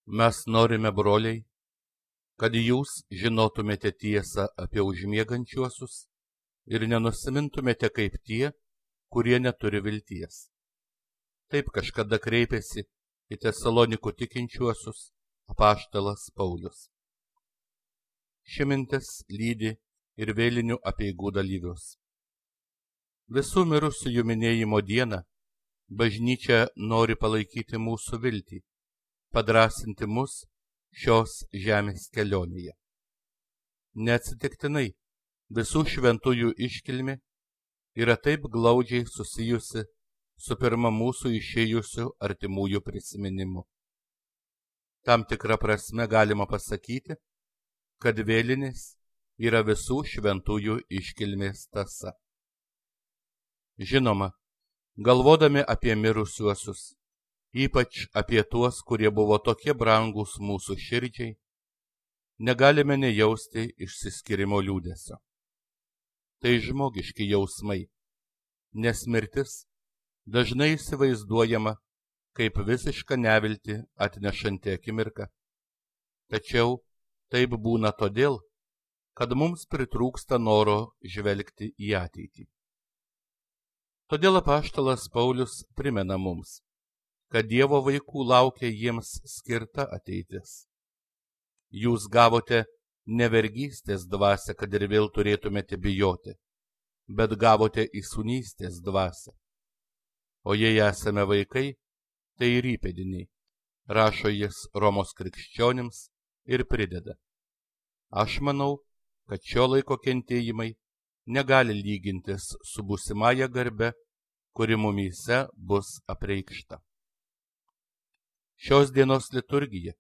Mes norime, broliai, kad jūs žinotumėte tiesą apie užmiegančiuosius ir nenusimintumėte kaip tie, kurie neturi vilties. Taip kažkada kreipėsi į Tesalonikų tikinčiuosius apaštalas Paulius. Ši mintis lydi ir vėlinių apeigų dalyvius. Visų mirusiųjų minėjimo dieną bažnyčia nori palaikyti mūsų viltį, padrąsinti mus šios žemės kelionėje. Neatsitiktinai visų šventųjų iškilmė yra taip glaudžiai susijusi su pirma mūsų išėjusių artimųjų prisiminimu. Tam tikra prasme galima pasakyti, kad vėlinės yra visų šventųjų iškilmės tąsa. Žinoma, galvodami apie mirusiuosius, ypač apie tuos, kurie buvo tokie brangūs mūsų širdžiai, negalime nejausti išsiskyrimo liūdesio. Tai žmogiški jausmai, nes mirtis dažnai įsivaizduojama kaip visišką neviltį atnešanti akimirka. Tačiau taip būna todėl, kad mums pritrūksta noro žvelgti į ateitį. Todėl apaštalas Paulius primena mums, kad Dievo vaikų laukia jiems skirta ateitis. Jūs gavote ne vergystės dvasią, kad ir vėl turėtumėte bijoti, bet gavote įsūnystės dvasią. O jei esame vaikai, tai ir įpėdiniai, rašo jis Romos krikščionims ir prideda. Aš manau, kad šio laiko kentėjimai negali lygintis su būsimąja garbe, kuri mumyse bus apreikšta. Šios dienos liturgija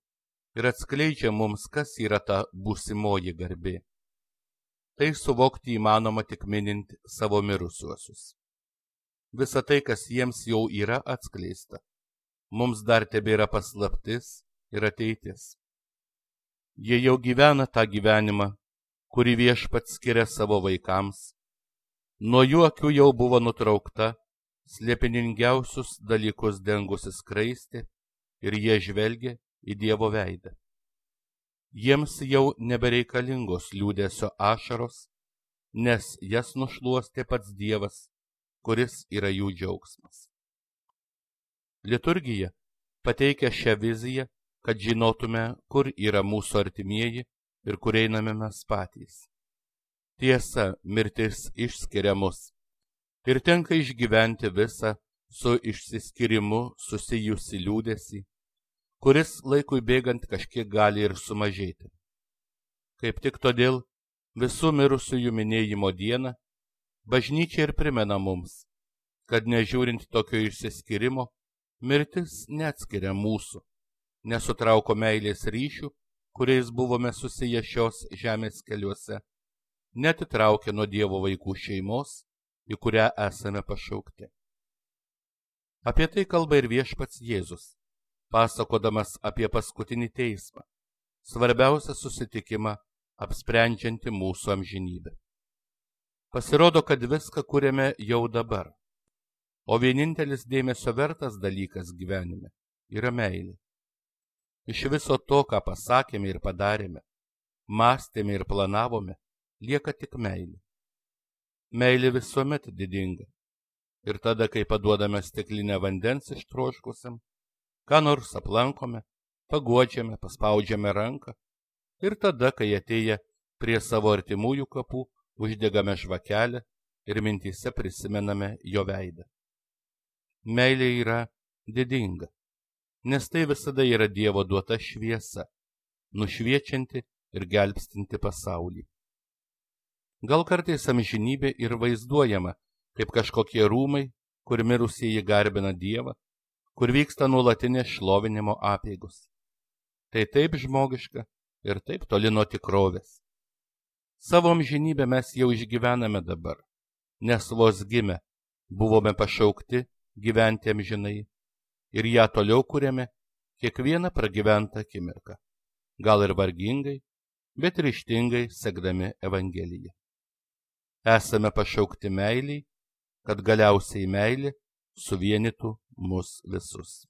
ir atskleidžia mums, kas yra ta būsimoji garbė. Tai suvokti įmanoma tik minint savo mirusiuosius. Visa tai, kas jiems jau yra atskleista, mums dar tebėra paslaptis ir ateitis. Jie jau gyvena tą gyvenimą, kurį Viešpats skiria savo vaikams. Nuo jų akių jau buvo nutraukta slėpiningiausius dalykus dengusi skraistė ir jie žvelgia į Dievo veidą. Jiems jau nebereikalingos liūdesio ašaros, nes jas nušluostė pats Dievas, kuris yra jų džiaugsmas. Liturgija pateikia šią viziją, kad žinotume, kur yra mūsų artimieji ir kur einame mes patys. Tiesa, mirtis išskiria mus ir tenka išgyventi visą su išsiskyrimu susijusi liūdesį, kuris laikui bėgant kažkiek gali ir sumažėti. Kaip tik todėl visų mirusiųjų minėjimo dieną bažnyčia ir primena mums, kad nežiūrint tokio išsiskyrimo, mirtis neatskiria mūsų, nesutrauko meilės ryšių, kuriais buvome susiję šios žemės keliuose, netitraukė nuo Dievo vaikų šeimos, į kurią esame pašaukti. Apie tai kalba ir Viešpats Jėzus, pasakodamas apie paskutinį teismą, svarbiausią susitikimą apsprendžiantį mūsų amžinybę. Pasirodo, kad viską kuriame jau dabar, o vienintelis dėmesio vertas dalykas gyvenime yra meilė. Iš viso to, ką pasakėme ir padarėme, mąstėme ir planavome, lieka tik meilė. Meilė visuomet didinga. Ir tada, kai paduodame stiklinę vandens ištroškusiam, ką nors aplankome, paguodžiame, paspaudžiame ranką, ir tada, kai atėję prie savo artimųjų kapų, uždegame žvakelę ir mintyse prisimename jo veidą. Meilė yra didinga, nes tai visada yra Dievo duota šviesa, nušviečianti ir gelbstinti pasaulį. Gal kartais amžinybė ir vaizduojama kaip kažkokie rūmai, kur mirusieji garbina Dievą, kur vyksta nuolatinės šlovinimo apeigos. Tai taip žmogiška ir taip toli nuo tikrovės. Savo amžinybę mes jau išgyvename dabar, nes vos gimę buvome pašaukti gyventi amžinai ir ją toliau kuriame kiekvieną pragyventą akimirką, gal ir vargingai, bet ryžtingai sekdami Evangeliją. Esame pašaukti meiliai, kad galiausiai meilė suvienytų mus visus.